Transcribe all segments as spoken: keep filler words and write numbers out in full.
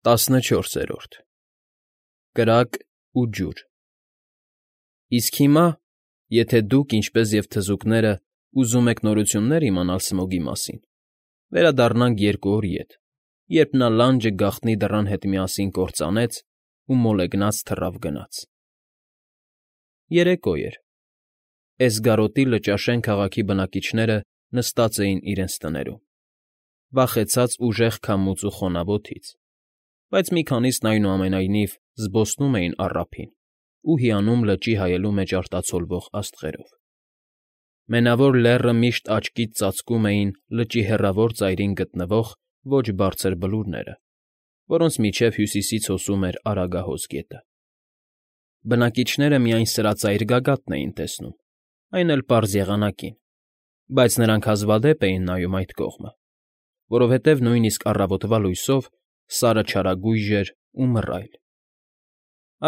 Տասնչորսերորդ Կրակ ու ջուր Իսկ հիմա, եթե դուք, ինչպես և թզուկները, ուզում եք նորություններ իմանալ Սմոգի մասին, վերադառնանք երկու օր ետ, երբ նա լանջը գաղտնի դռան հետ միասին կործանեց ու մոլեգնած թռավ գնաց. Երեկո էր. Էսգարոտի Լճաշեն քաղաքի բնակիչները նստած էին իրենց տներում, վախեցած ուժեղ քամուց ու խոնավ օդից, բայց մի քանիսն, այնուամենայնիվ, զբոսնում էին առափին ու հիանում լճի հայելու մեջ արտացոլվող աստղերով. Մենավոր Լեռը միշտ աչքից ծածկում էին լճի հեռավոր ծայրին գտնվող ոչ բարձր բլուրները, որոնց միջև հյուսիսից հոսում էր Արագահոս գետը. Բնակիչները միայն սրածայր գագաթն էին տեսնում, այն էլ պարզ եղանակին, բայց նրանք հազվադեպ էին նայում այդ կողմը, որովհետև նույնիսկ առավոտվա լույսով Սարը չարագույժ էր ու մռայլ.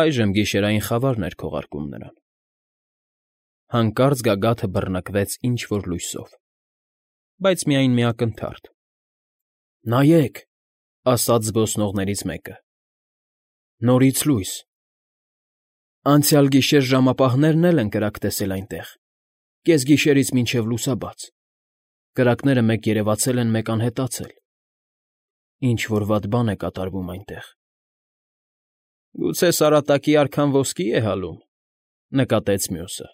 այժմ գիշերային խավարն էր քողարկում նրան։ Հանկարծ գագաթը բռնկվեց ինչ֊որ լույսով, բայց միայն մի ակնթարթ։ ֊ Նայեք,֊ ասաց զբոսնողներից մեկը,֊ նորից լույս… Անցյալ գիշեր ժամապահներն էլ են կրակ տեսել այնտեղ, կեսգիշերից մինչև լուսաբաց… Կրակները մեկ երևացել են, մեկ անհետացել… Ինչ֊որ վատ բան է կատարվում այնտեղ… ֊ Գուցե Սարատակի արքան ոսկի է հալում,֊ նկատեց մյուսը։֊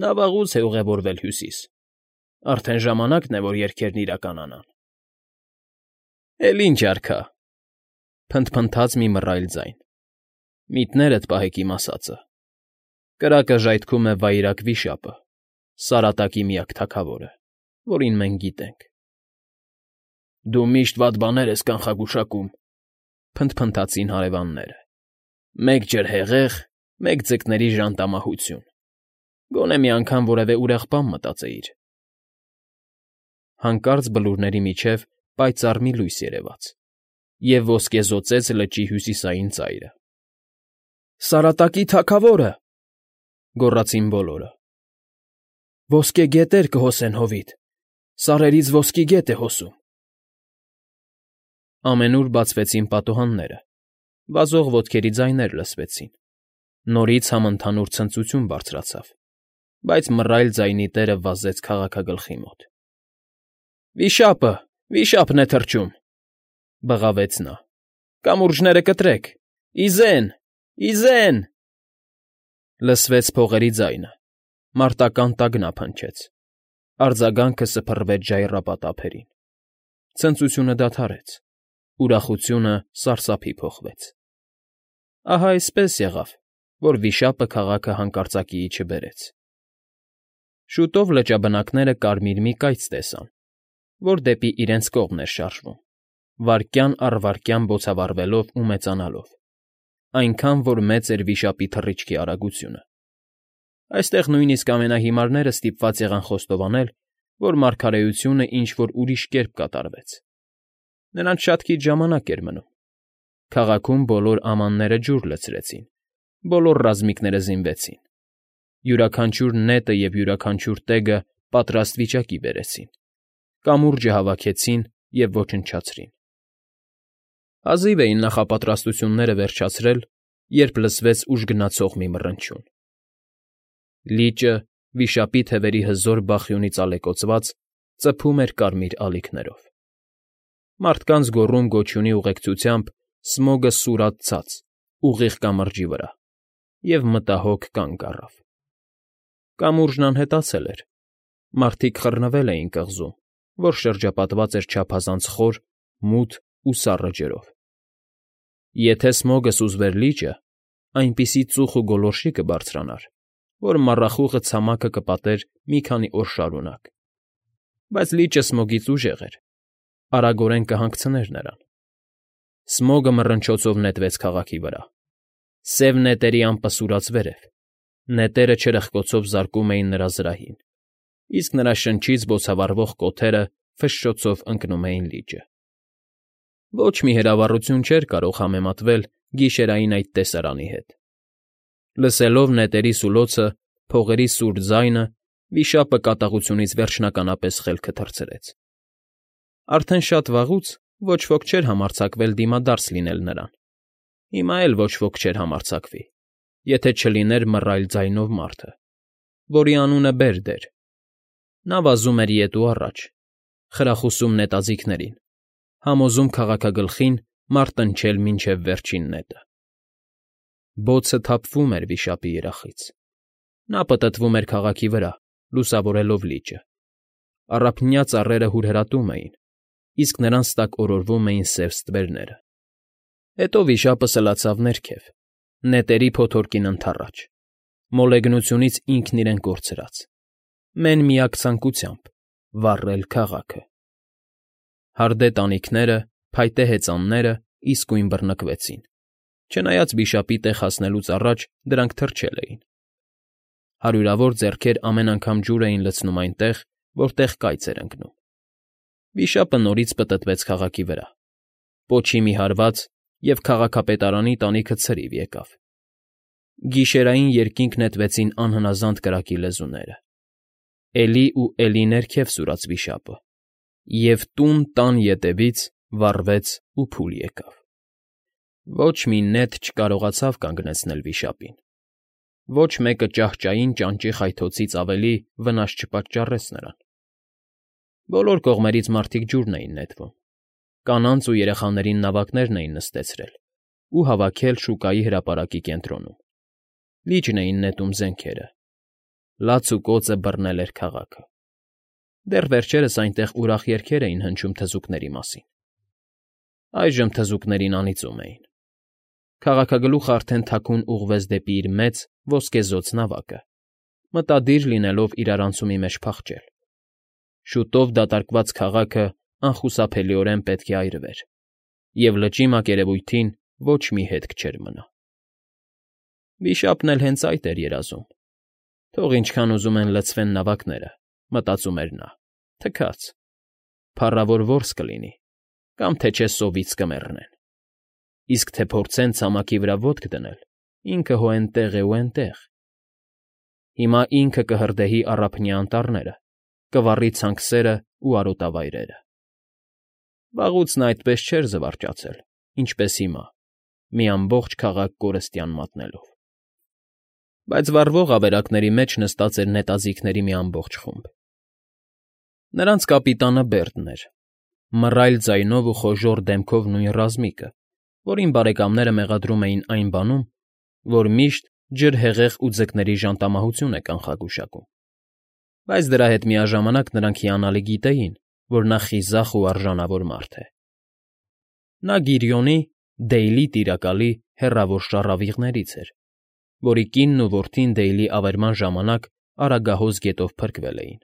Նա վաղուց է ուղևորվել հյուսիս, արդեն ժամանակն է, որ երգերն իրականանան։ ֊ Էլ ինչ արքա,֊ փնթփնթաց մի մռայլ ձայն։֊ Միտներդ պահեք իմ ասածը. կրակը ժայթքում է Վայրագ վիշապը, Սարատակի միակ թագավորը, որին մենք գիտենք։ ֊ Դու միշտ վատ բաներ ես կանխագուշակում,֊ փնթփնթացին հարևանները։֊ Մեկ ջրհեղեղ, մեկ ձկների ժանտամահություն… Գոնե մի անգամ որևէ ուրախ բան մտածեիր… Հանկարծ բլուրների միջև պայծառ մի լույս երևաց և ոսկեզօծեց լճի հյուսիսային ծայրը։ ֊ Սարատակի թագավո՜րը,֊ գոռացին բոլորը։ ֊ Ոսկե գետեր կհոսեն հովիտ… Սարերից ոսկի գետ է հոսում… Ամենուր բացվեցին պատուհանները, վազող ոտքերի ձայներ լսվեցին, նորից համընդհանուր ցնծություն բարձրացավ, բայց մռայլ ձայնի տերը վազեց քաղաքագլխի մոտ։ ֊ Վիշա՜պը… Վիշա՜պն է թռչում,֊ բղավեց նա։֊ Կամուրջները կտրեք… Ի զե՜ն… Ի զե՜ն… Լսվեց փողերի ձայնը, մարտական տագնապ հնչեց, արձագանքը սփռվեց ժայռապատ ափերին… Ցնծությունը դադարեց, ուրախությունը սարսափի փոխվեց… Ահա այսպես եղավ, որ վիշապը քաղաքը հանկարծակիի չբերեց… Շուտով լճաբնակները կարմիր մի կայծ տեսան, որ դեպի իրենց կողմն էր շարժվում, վայրկյան առ վայրկյան բոցավառվելով ու մեծանալով, այնքան, որ մեծ էր վիշապի թռիչքի արագությունը… Այստեղ նույնիսկ ամենահիմարները ստիպված եղան խոստովանել, որ մարգարեությունը ինչ֊որ ուրիշ կերպ կատարվեց… Նրանց շատ քիչ ժամանակ էր մնում… Քաղաքում բոլոր ամանները ջուր լցրեցին, բոլոր ռազմիկները զինվեցին, յուրաքանչյուր նետը և յուրաքանչյուր տեգը պատրաստ վիճակի բերեցին, կամուրջը հավաքեցին և ոչնչացրին… Հազիվ էին նախապատրաստությունները վերջացրել, երբ լսվեց ուժգնացող մի մռնչյուն… Լիճը, վիշապի թևերի հզոր բախյունից ալեկոծված, ծփում էր կարմիր ալիքներով… Մարդկանց գոռում֊գոչյունի ուղեկցությամբ Սմոգը սուրաց ցած, ուղիղ կամրջի վրա, և մտահոգ կանգ առավ… Կամուրջն անհետացել էր, մարդիկ խռնվել էին կղզում, որ շրջապատված էր չափազանց խոր, մութ ու սառը ջրով… Եթե Սմոգը սուզվեր լիճը, այնպիսի ծուխ ու գոլորշի կբարձրանար, որ մառախուղը ցամաքը կպատեր մի քանի օր շարունակ… Բայց լիճը Սմոգից ուժեղ էր, արագորեն կհանգցներ նրան… Սմոգը մռնչոցով նետվեց քաղաքի վրա… Սև նետերի ամպը սուրաց վերև, նետերը չրպկոցով զարկում էին նրա զրահին, իսկ նրա շնչից բոցավառվող կոթերը ֆշշոցով ընկնում էին լիճը… Ոչ մի հրավառություն չէր կարող համեմատվել գիշերային այդ տեսարանի հետ… Լսելով նետերի սուլոցը, փողերի սուր ձայնը, վիշապը կատաղությունից վերջնականապես խելքը թռցրեց… Արդեն շատ վաղուց, Ոչ ոք չէր համարձակվել դիմադարձ լինել նրան, հիմա էլ ոչ ոք չէր համարձակվի, եթե չլիներ մռայլ ձայնով մարդը, որի անունը Բերդ էր. նա վազում էր ետ ու առաջ, խրախուսում նետաձիգներին, համոզում քաղաքագլխին մարտնչել մինչև վերջին նետը։ Բոցը թափվում էր վիշապի երախից։ Նա պտտվում էր քաղաքի վրա, լուսավորելով լիճը։ Առափնյա ծառերը հուրհրատում էին, իսկ նրանց տակ օրորվում էին սև ստվերները։ Հետո վիշապը սլացավ ներքև, նետերի փոթորկին ընդառաջ, մոլեգնությունից ինքն իրեն կորցրած, մեն֊միակ ցանկությամբ՝ վառել քաղաքը։ Հարդե տանիքները, փայտե հեծանները իսկույն բռնկվեցին, չնայած վիշապի տեղ հասնելուց առաջ դրանք թրջել էին։ Հարյուրավոր ձեռքեր ամեն անգամ ջուր էին լցնում այնտեղ, որտեղ կայծ էր ընկնում։ Վիշապը նորից պտտվեց քաղաքի վրա, պոչի մի հարված, և քաղաքապետարանի տանիքը ցրիվ եկավ։ Գիշերային երկինք նետվեցին անհնազանդ կրակի լեզուները։ Էլի ու էլի ներքև սուրաց վիշապը, և տուն տան ետևից վառվեց ու փուլ եկավ։ Ոչ մի նետ չկարողացավ կանգնեցնել վիշապին, ոչ մեկը ճահճային ճանճի խայթոցից ավելի վնաս չպատճառեց նրան։ Բոլոր կողմերից մարդիկ ջուրն էին նետվում, կանանց ու երեխաներին նավակներն էին նստեցրել ու հավաքել շուկայի հրապարակի կենտրոնում, լիճն էին նետում զենքերը, լաց ու կոծը բռնել էր քաղաքը։ Դեռ վերջերս այնտեղ ուրախ երգեր էին հնչում թզուկների մասին։ Այժմ թզուկներին անիծում էին։ Քաղաքագլուխը արդեն թաքուն ուղղվեց դեպի իր մեծ ոսկեզօծ նավակը, մտադիր լինելով իրարանցումի մեջ փախչել։ Շուտով դատարկված քաղաքը անխուսափելիորեն պետք է այրվեր, և լճի մակերևույթին ոչ մի հետք չէր մնա։ Վիշապն էլ հենց այդ էր երազում։ Թող ինչքան ուզում են լցվեն նավակները, մտածում էր նա, թքած, փառավոր որս կլինի, կամ թե չէ սովից կմեռնեն։ Իսկ թե փորձեն ցամաքի վրա ոտք դնել, ինքը հո էնտեղ է ու էնտեղ։ Հիմա ինքը կհրդեհի առափնյա անտառները, կվառի ցանքսերն ու արոտավայրերը։ Վաղուց նա այդպես չէր զվարճացել, ինչպես հիմա, մի ամբողջ քաղաք կորստյան մատնելով։ Բայց վառվող ավերակների մեջ նստած էր նետաձիգների մի ամբողջ խումբ։ Նրանց կապիտանը Բերդն էր, մռայլ ձայնով ու խոժոռ դեմքով նույն ռազմիկը, որին բարեկամները մեղադրում էին այն բանում, որ միշտ ջրհեղեղ ու ձկների ժանտամահություն է կանխագուշակում։ Բայց դրա հետ միաժամանակ նրանք հիանալի գիտեին, որ նա խիզախ ու արժանավոր մարդ է։ Նա Գիրիոնի՝ Դեյլի տիրակալի հեռավոր շառավիղներից էր, որի կինն ու որդին Դեյլի ավերման ժամանակ Արագահոս գետով փրկվել էին։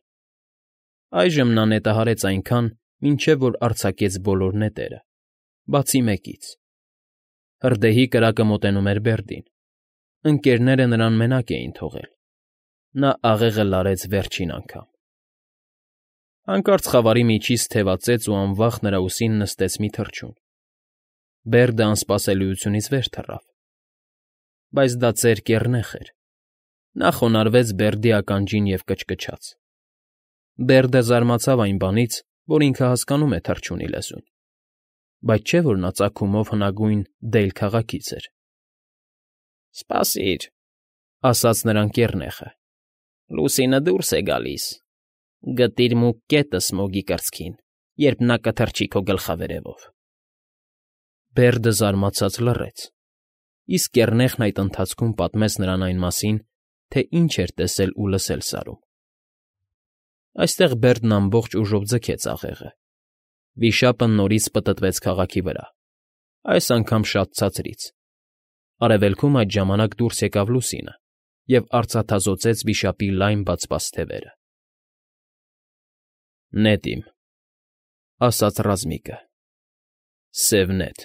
Այժմ նա նետահարեց այնքան, մինչև որ արձակեց բոլոր նետերը, բացի մեկից։ Հրդեհի կրակը մոտենում էր Բերդին, ընկերները նրան մենակ էին թողել։ Նա աղեղը լարեց վերջին անգամ։ Հանկարծ խավարի միջից թևածեց ու անվախ նրա ուսին նստեց մի թռչուն։ Բերդը անսպասելիությունից վեր թռավ։ Բայց դա ծեր կեռնեխ էր։ Նա խոնարհվեց Բերդի ականջին և կչկչաց։ Բերդը զարմացավ այն բանից, որ ինքը հասկանում է թռչունի լեզուն, բայց չէ՞ որ նա ծագումով հնագույն Դեյլ քաղաքից էր։ ֊ Սպասիր,֊ ասաց նրան կեռնեխը,֊ լուսինը դուրս է գալիս, գտիր մուգ կետը Սմոգի կրծքին, երբ նա կթռչի քո գլխավերևով։ Բերդը զարմացած լռեց, իսկ կեռնեխն այդ ընթացքում պատմեց նրան այն մասին, թե ինչ էր տեսել ու լսել Սարում։ Այստեղ Բերդն ամբողջ ուժով ձգեց աղեղը։ Վիշապը նորից պտտվեց քաղաքի վրա, այս անգամ շատ ցածրից։ Արևելքում այդ ժամանակ դուրս եկավ լուսինը և արծաթազօծեց վիշապի լայն բացված թևերը։ ֊ Նետ իմ,֊ ասաց ռազմիկը,֊ սև նետ։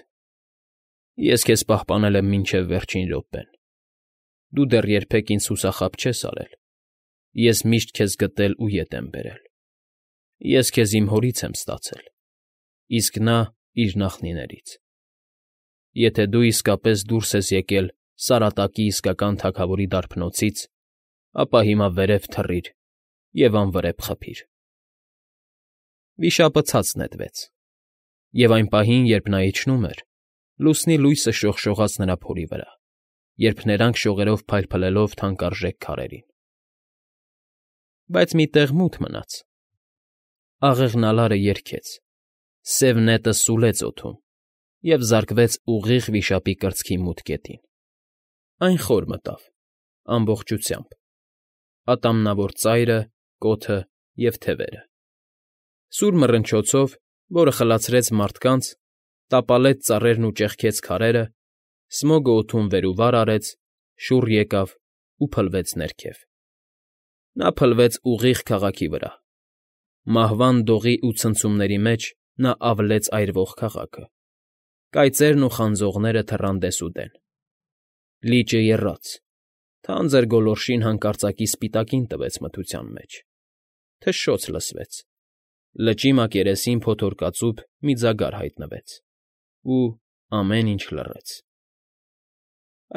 Ես քեզ պահպանել եմ մինչև վերջին րոպեն։ Դու դեռ երբեք ինձ հուսախաբ չես արել, ես միշտ քեզ գտել ու ետ եմ բերել։ Ես քեզ իմ հորից եմ ստացել, իսկ նա՝ իր նախնիներից։ Եթե դու իսկապես դուրս ես եկել Սարատակի իսկական թագավորի դարբնոցից, ապա հիմա վերև թռիր և անվրեպ խփիր։ Վիշապը ցած նետվեց։ Եվ այն պահին, երբ նա իջնում էր, լուսնի լույսը շողշողաց նրա փորի վրա, երբ ներանք շողերով փայլփլելով թանկարժեք քարերին։ Բայց մի տեղ մութ մնաց. աղեղնալարը երգեց, սև նետը սուլեց օդում և զարկվեց ուղիղ վիշապի կրծքի մութ կետին։ Այն խոր մտավ, ամբողջությամբ, ատամնավոր ծայրը, կոթը և թևերը։ Սուր մռնչոցով, որը խլացրեց մարդկանց, տապալեց ծառերն ու ճեղքեց քարերը, Սմոգը օդում վեր ու վար արեց, շուռ եկավ ու փլվեց ներքև։ Նա փլվեց ուղիղ քաղաքի վրա։ Մահվան դողի ու ցնցումների մեջ նա ավլեց այրվող քաղաքը։ Կայծերն ու խանձողները թռան դեսուդեն։ Լիճը եռաց, թանձր գոլորշին հանկարծակի սպիտակին տվեց մթության մեջ։ Թշշոց լսվեց։ Լճի մակերեսին փոթորկածուփ մի ձագար հայտնվեց, ու ամեն ինչ լռեց։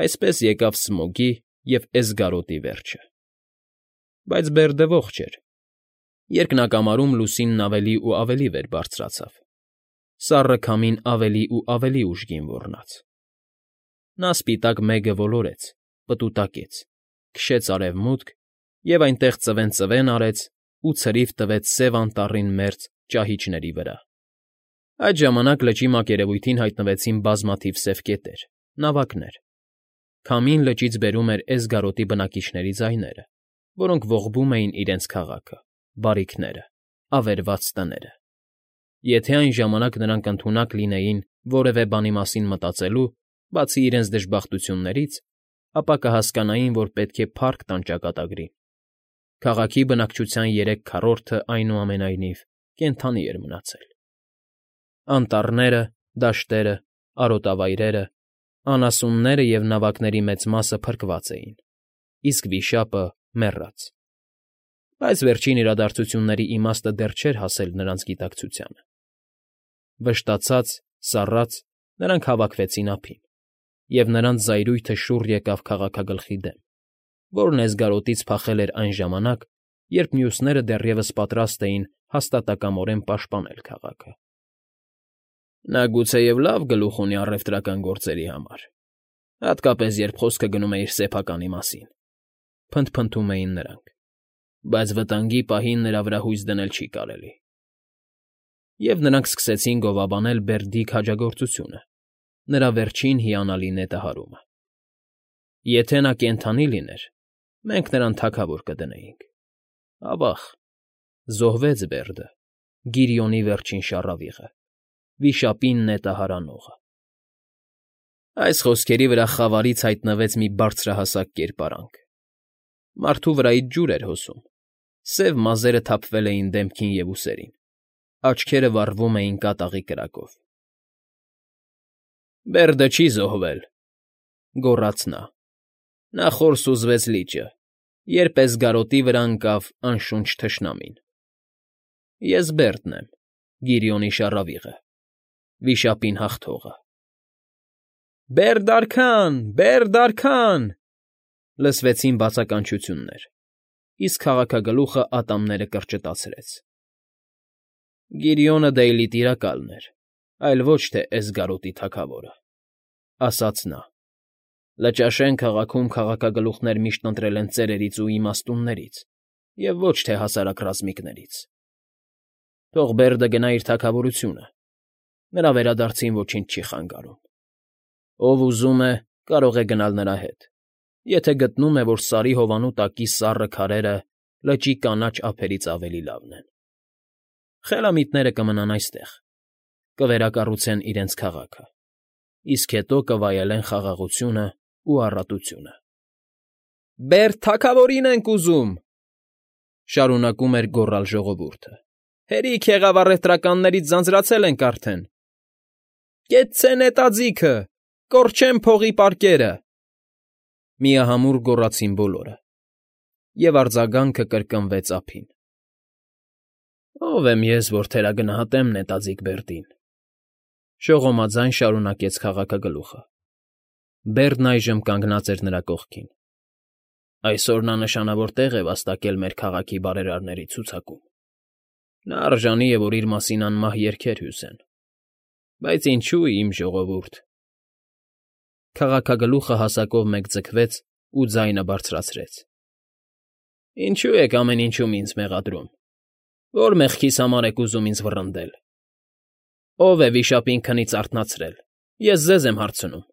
Այսպես եկավ Սմոգի և Էսգարոտի վերջը։ Բայց Բերդը ողջ էր։ Երկնակամարում լուսինն ավելի ու ավելի վեր բարձրացավ, սառը քամին ավելի ու ավելի ուժգին ոռնաց։ Նա սպիտակ մեգը ոլորեց, պտուտակեց, քշեց արևմուտք և այնտեղ ծվեն֊ծվեն արեց ու ցրիվ տվեց Սև Անտառին մերձ ճահիճների վրա։ Այդ ժամանակ լճի մակերևույթին հայտնվեցին բազմաթիվ սև կետեր, նավակներ։ Քամին լճից բերում էր Էսգարոտի բնակիչների ձայները, որոնք ողբում էին իրենց քաղաքը, բարիքները, ավերված տները։ Եթե այն ժամանակ նրանք ընդունակ լինեին որևէ բանի մասին մտածելու, բացի իրենց դժբախտություններից, ապա կհասկանային, որ պետք է փառք տան ճակատագրին։ Քաղաքի բնակչության երեք քառորդը, այնուամենայնիվ, կենդանի էր մնացել։ Անտառները, դաշտերը, արոտավայրերը, անասունները և նավակների մեծ մասը փրկված էին, իսկ վիշապը՝ մեռած։ Բայց վերջին իրադարձությունների իմաստը դեռ չէր հասել նրանց գիտակցությանը։ Վշտացած, սառած՝ նրանք հավաքվեցին ափին, և նրանց զայրույթը շուռ եկավ քաղաքագլխի դեմ, որն Էսգարոտից փախել էր այն ժամանակ, երբ մյուսները դեռևս պատրաստ էին հաստատակամորեն պաշտպանել քաղաքը։ Նա գուցեև լավ գլուխ ունի առևտրական գործերի համար, հատկապես երբ խոսքը գնում է իր սեփականի մասին, փնթփնթում էին նրանք, բայց վտանգի պահին նրա վրա հույս դնել չի կարելի։ Եվ նրանք սկսեցին գովաբանել Բերդի քաջագործությունը, նրա վերջին հիանալի նետահարումը։ Եթե նա կենդանի լիներ, մենք նրան թագավոր կդնեինք։ Ավա՜ղ, զոհվեց Բերդը, Գիրիոնի վերջին շառավիղը, վիշապին նետահար անողը։ Այս խոսքերի վրա խավարից հայտնվեց մի բարձրահասակ կերպարանք։ Մարդու վրայից ջուր էր հոսում, սև մազերը թափվել էին դեմքին և ուսերին, աչքերը վառվում էին կատաղի կրակով։ ֊ Բերդը չի զոհվել,֊ գոռաց նա։ Նա խոր սուզվեց լիճը, երբ Էսգարոտի վրա ընկավ անշունչ թշնամին։ Ես Բերդն եմ, Գիրիոնի շառավիղը, վիշապին հաղթողը։ «Բերդ արքան, Բերդ արքան…֊ լսվեցին բացականչություններ, իսկ քաղաքագլուխը ատամները կրճտացրեց։ Գիրիոնը Դեյլի տիրակալն էր, այլ ոչ թե Էսգարոտի թագավորը,֊ ասաց նա։ Լճաշեն քաղաքում քաղաքագլուխներ միշտ ընտրել են ծերերից ու իմաստուններից և ոչ թե հասարակ ռազմիկներից։ Թող Բերդը գնա իր թագավորությունը, նրա վերադարձին ոչինչ չի խանգարում։ Ով ուզում է, կարող է գնալ նրա հետ, եթե գտնում է, որ Սարի հովանու տակի սառը քարերը լճի կանաչ ափերից ավելի լավն են։ Խելամիտները կմնան այստեղ, կվերակառուցեն իրենց քաղաքը, իսկ հետո կվայելեն խաղաղությունն ու առատությունը։ ֊ Բերդ թագավորին ենք ուզում,֊ շարունակում էր գոռալ ժողովուրդը։ Հերիք եղավ, առևտրականներից ձանձրացել ենք արդեն։ Կեցցե նետաձիգը, կորչեն փողի պարկերը…֊ միահամուռ գոռացին բոլորը, և արձագանքը կրկնվեց ափին։ Ո՞վ եմ ես, որ թերագնահատեմ նետաձիգ Բերդին,֊ շողոմաձայն շարունակեց քաղաքագլուխը։ Բերդն այժմ կանգնած էր նրա կողքին։ Այսօր նա նշանավոր տեղ է վաստակել մեր քաղաքի բարերարների ցուցակում։ Նա արժանի է, որ իր մասին անմահ երգեր հյուսեն։ Բայց ինչո՞ւ, իմ ժողովուրդ… Քաղաքագլուխը հասակով մեկ ձգվեց ու ձայնը բարձրացրեց. Ինչո՞ւ եք ամեն ինչում ինձ մեղադրում, ո՞ր մեղքիս համար եք ուզում ինձ վռնդել… Ո՞վ է վիշապին քնից արթնացրել, ես ձեզ եմ հարցնում,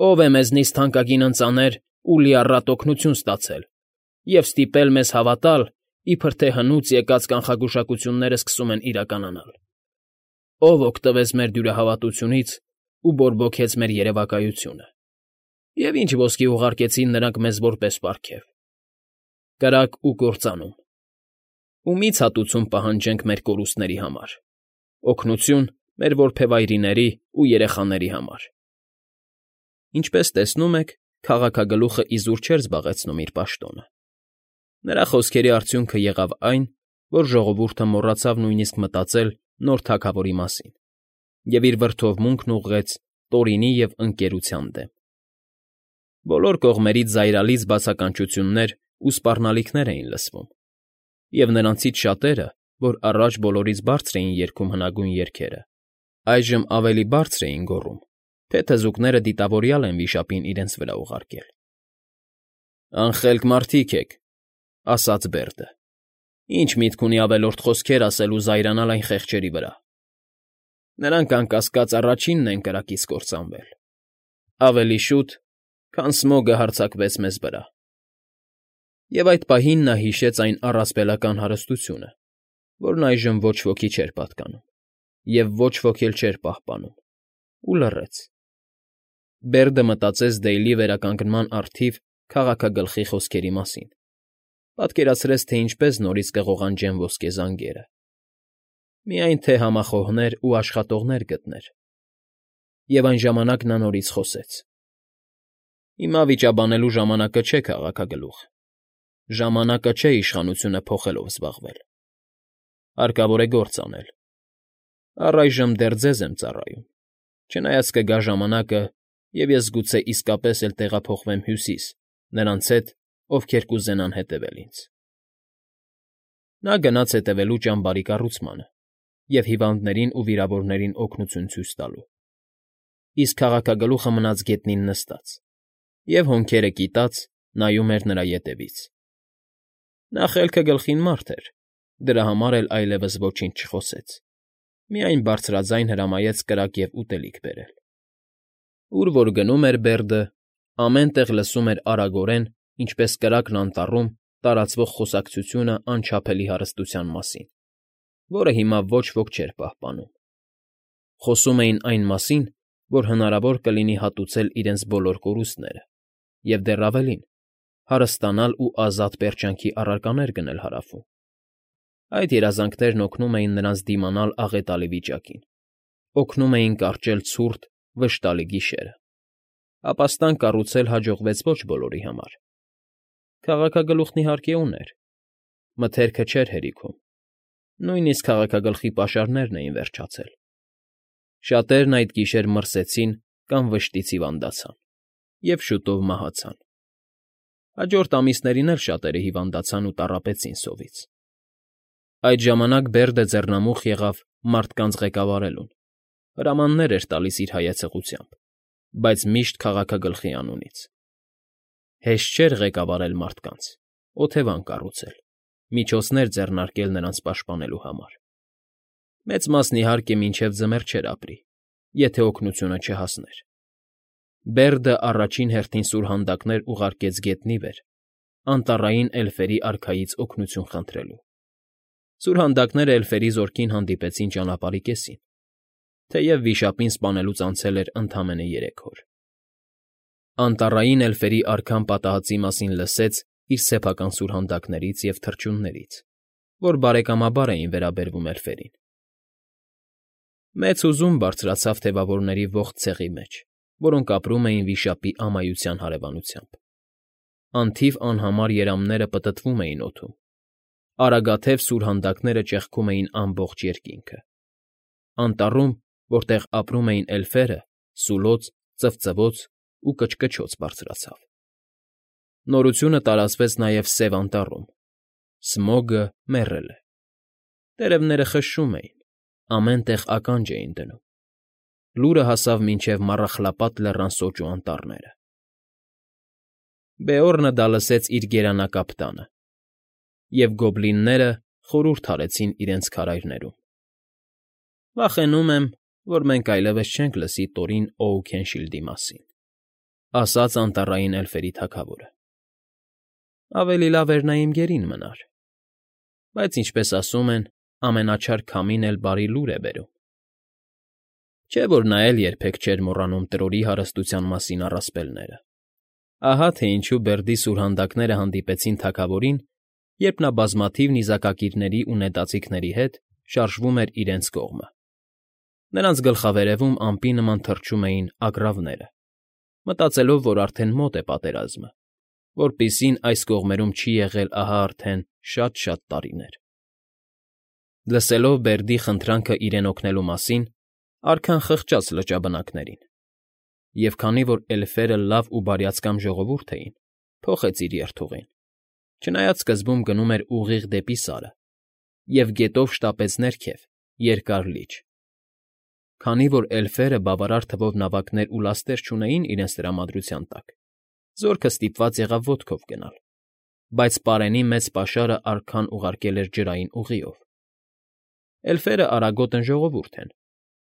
ո՞վ է մեզնից թանկագին ընծաներ ու լիառատ օգնություն ստացել և ստիպել մեզ հավատալ, իբր թե հնուց եկած կանխագուշակությունները սկսում են իրականանալ… Ո՞վ օգտվեց մեր դյուրահավատությունից ու բորբոքեց մեր երևակայությունը… Եվ ինչ ոսկի ուղարկեցին նրանք մեզ որպես պարգև… Կրակ ու կործանում… Ումի՞ց հատուցում պահանջենք մեր կորուստների համար… Օգնություն մեր որբևայրիների ու երեխաների համար… Ինչպես տեսնում եք, քաղաքագլուխը իզուր չէր զբաղեցնում իր պաշտոնը… Նրա խոսքերի արդյունքը եղավ այն, որ ժողովուրդը մոռացավ նույնիսկ մտածել նոր թագավորի մասին և իր վրդովմունքն ուղղեց Տորինի և Ընկերության դեմ… Բոլոր կողմերից զայրալից բացականչություններ ու սպառնալիքներ էին լսվում, և նրանցից շատերը, որ առաջ բոլորից բարձր էին երգում հնագույն երգերը, այժմ ավելի բարձր էին գոռում, թե թզուկները դիտավորյալ են վիշապին իրենց վրա ուղարկել։ ֊ Անխելք մարդիկ եք,֊ ասաց Բերդը։֊ Ի՞նչ միտք ունի ավելորդ խոսքեր ասել ու զայրանալ այն խեղճերի վրա… Նրանք, անկասկած, առաջինն են կրակից կործանվել… Ավելի շուտ, քան Սմոգը հարձակվեց մեզ վրա… Եվ այդ պահին նա հիշեց այն առասպելական հարստությունը, որն այժմ ոչ ոքի չէր պատկանում և ոչ ոք էլ չէր պահպանում, ու լռեց… Բերդը մտածեց Դեյլի վերականգնման առթիվ քաղաքագլխի խոսքերի մասին, պատկերացրեց, թե ինչպես նորից կղողանջեն ոսկե զանգերը… Միայն թե համախոհներ ու աշխատողներ գտներ… Եվ այն ժամանակ նա նորից խոսեց. ֊ Հիմա վիճաբանելու ժամանակը չէ, քաղաքագլուխ, ժամանակը չէ իշխանությունը փոխելով զբաղվել… Հարկավոր է գործ անել… Առայժմ դեռ ձեզ եմ ծառայում, չնայած կգա ժամանակը, և ես գուցե իսկապես էլ տեղափոխվեմ Հյուսիս նրանց հետ, ովքեր կուզենան հետևել ինձ… Նա գնաց հետևելու ճամբարի կառուցմանը և հիվանդներին ու վիրավորներին օգնություն ցույց տալու, իսկ քաղաքագլուխը մնաց գետնին նստած և, հոնքերը կիտած, նայում էր նրա ետևից… Նա խելքը գլխին մարդ էր, դրա համար էլ այլևս ոչինչ չխոսեց, միայն բարձրաձայն հրամայեց կրակ և ուտելիք բերել… Ուր որ գնում էր Բերդը, ամեն տեղ լսում էր արագորեն, ինչպես կրակն անտառում, տարածվող խոսակցությունը անչափելի հարստության մասին, որը հիմա ոչ ոք չէր պահպանում… Խոսում էին այն մասին, որ հնարավոր կլինի հատուցել իրենց բոլոր կորուստները և, դեռ ավելին, հարստանալ ու ազատ պերճանքի առարկաներ գնել Հարավում… Այդ երազանքներն օգնում էին նրանց դիմանալ աղետալի վիճակին, օգնում էին կարճել ցուրտ, վշտալի գիշերը… Ապաստան կառուցել հաջողվեց ոչ բոլորի համար… Քաղաքագլուխն, իհարկե, ուներ… Մթերքը չէր հերիքում, նույնիսկ քաղաքագլխի պաշարներն էին վերջացել… Շատերն այդ գիշեր մրսեցին կամ վշտից հիվանդացան և շուտով մահացան… Հաջորդ ամիսներին էլ շատերը հիվանդացան ու տառապեցին սովից… Այդ ժամանակ Բերդը ձեռնամուխ եղավ մարդկանց ղեկավարելուն, հրամաններ էր տալիս իր հայեցողությամբ, բայց միշտ քաղաքագլխի անունից… Հեշտ չէր ղեկավարել մարդկանց, օթևան կառուցել, միջոցներ ձեռնարկել նրանց պաշտպանելու համար… Մեծ մասն, իհարկե, մինչև ձմեռ չէր ապրի, եթե օգնությունը չհասներ… Բերդը առաջին հերթին սուրհանդակներ ուղարկեց գետնի վեր, անտառային էլֆերի արքայից օգնություն խնդրելու… Սուրհանդակները էլֆերի զորքին հանդիպեցին ճանապարհի կեսին, թեև վիշապին սպանելուց անցել էր ընդամենը երեք օր… Անտառային էլֆերի արքան պատահածի մասին լսեց իր սեփական սուրհանդակներից և թռչուններից, որ բարեկամաբար էին վերաբերվում էլֆերին… Մեծ հուզում բարձրացավ թևավորների ողջ ցեղի մեջ, որոնք ապրում էին վիշապի ամայության հարևանությամբ… Անթիվ անհամար երամները պտտվում էին օդում, արագաթև սուրհանդակները ճեղքում էին ամբողջ երկինքը… Անտառում, որտեղ ապրում էին էլֆերը, սուլոց, ծվծվոց ու կչկչոց բարձրացավ… Նորությունը տարածվեց նաև Սև Անտառում… Սմոգը մեռել է… Տերևները խշշում էին, ամեն տեղ ականջ էին դնում… լուրը հասավ մինչև Մառախլապատ Լեռան սոճու անտառները։ Բեորնը դա լսեց իր գերանակապ տանը, և գոբլինները խորհուրդ արեցին իրենց քարայրներում։ ֊ Վախենում եմ, որ մենք այլևս չենք լսի Տորին Օուքենշիլդի մասին,֊ ասաց անտառային էլֆերի թագավորը։ ֊ Ավելի լավ էր նա իմ գերին մնար, բայց, ինչպես ասում են, ամենաչար քամին էլ բարի լուր է բերում։ Չէ՞ որ նա էլ երբեք չէր մոռանում Տրորի հարստության մասին առասպելները։ Ահա թե ինչու Բերդի սուրհանդակները հանդիպեցին թագավորին, երբ նա բազմաթիվ նիզակակիրների ու նետաձիգների հետ շարժվում էր իրենց կողմը։ Նրանց գլխավերևում ամպի նման թռչում էին ագռավները, մտածելով, որ արդեն մոտ է պատերազմը, որպիսին այս կողմերում չի եղել ահա արդեն շատ֊շատ տարիներ։ Լսելով Բերդի խնդրանքը իրեն օգնելու մասին, արքան խղճաց լճաբնակներին, և քանի որ էլֆերը լավ ու բարյացակամ ժողովուրդ էին, փոխեց իր երթուղին, չնայած սկզբում գնում էր ուղիղ դեպի Սարը, և գետով շտապեց ներքև, Երկար Լիճ։ Քանի որ էլֆերը բավարար թվով նավակներ ու լաստեր չունեին իրենց տրամադրության տակ, զորքը ստիպված եղավ ոտքով գնալ, բայց պարենի մեծ պաշարը արքան ուղարկել էր ջրային ուղիով։ Էլֆերը արագոտն ժողովուրդ են,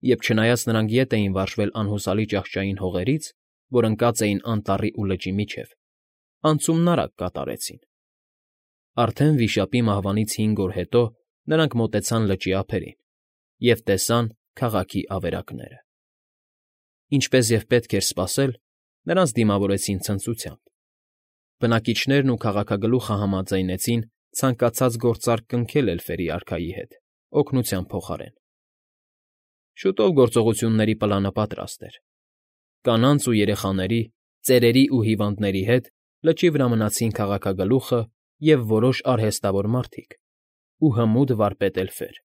և չնայած նրանք ետ էին վարժվել անհուսալի ճահճային հողերից, որ ընկած էին անտառի ու լճի միջև, անցումն արագ կատարեցին։ Արդեն վիշապի մահվանից հինգ օր հետո նրանք մոտեցան լճի ափերին և տեսան քաղաքի ավերակները։ Ինչպես և պետք էր սպասել, նրանց դիմավորեցին ցնծությամբ։ Բնակիչներն ու քաղաքագլուխը համաձայնեցին ցանկացած գործարք կնքել էլֆերի արքայի հետ, օգնության փոխարեն։ Շուտով գործողությունների պլանը պատրաստ էր։ Կանանց ու երեխաների, ծերերի ու հիվանդների հետ լճի վրա մնացին քաղաքագլուխը և որոշ արհեստավոր մարդիկ ու հմուտ վարպետ էլֆեր։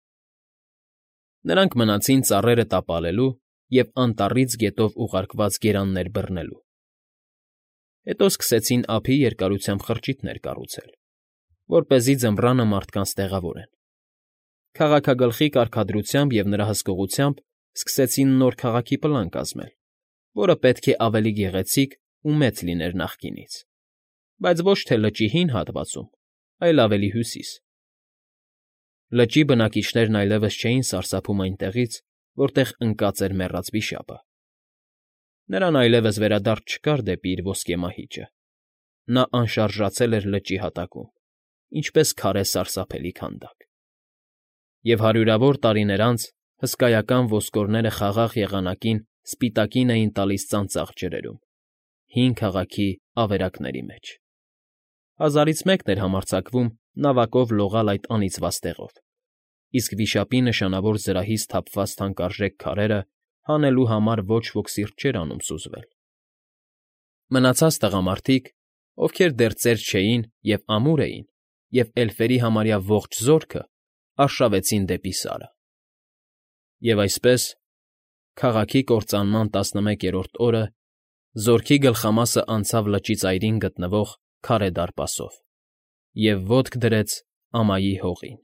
Նրանք մնացին ծառերը տապալելու և անտառից գետով ուղարկված գերաններ բռնելու։ Հետո սկսեցին ափի երկարությամբ խրճիթներ կառուցել, որպեսզի ձմռանը մարդկանց տեղավորեն։ Քաղաքագլխի կարգադրությամբ և նրա հսկողությամբ սկսեցին նոր քաղաքի պլան կազմել, որը պետք է ավելի գեղեցիկ ու մեծ լիներ նախկինից, բայց ոչ թե լճի հին հատվածում, այլ ավելի հյուսիս։ Լճի բնակիչներն այլևս չէին սարսափում այնտեղից, որտեղ ընկած էր մեռած վիշապը։ Նրան այլևս վերադարձ չկար դեպի իր ոսկե մահիճը, նա անշարժացել էր լճի հատակում, ինչպես քարե սարսափելի քանդակ։ Եվ հարյուրավոր տարիներ անց հսկայական ոսկորները խաղաղ եղանակին սպիտակին էին տալիս ծանծաղ ջրերում, հին քաղաքի ավերակների մեջ։ Հազարից մեկն էր համարձակվում նավակով լողալ այդ անիծյալ տեղով, իսկ վիշապի նշանավոր զրահից թափված թանկարժեք քարերը հանելու համար ոչ ոք սիրտ չէր անում սուզվել։ Մնացած տղամարդիկ, ովքեր դեռ ծեր չէին և ամուր էին, և էլֆերի համարյա ողջ զորքը արշավեցին դեպի Սարը։ Եվ այսպես, քաղաքի կործանման տասնմեկերորդ օրը զորքի գլխամասը անցավ լճի ծայրին գտնվող քարե դարպասով և ոտք դրեց Ամայի հողին։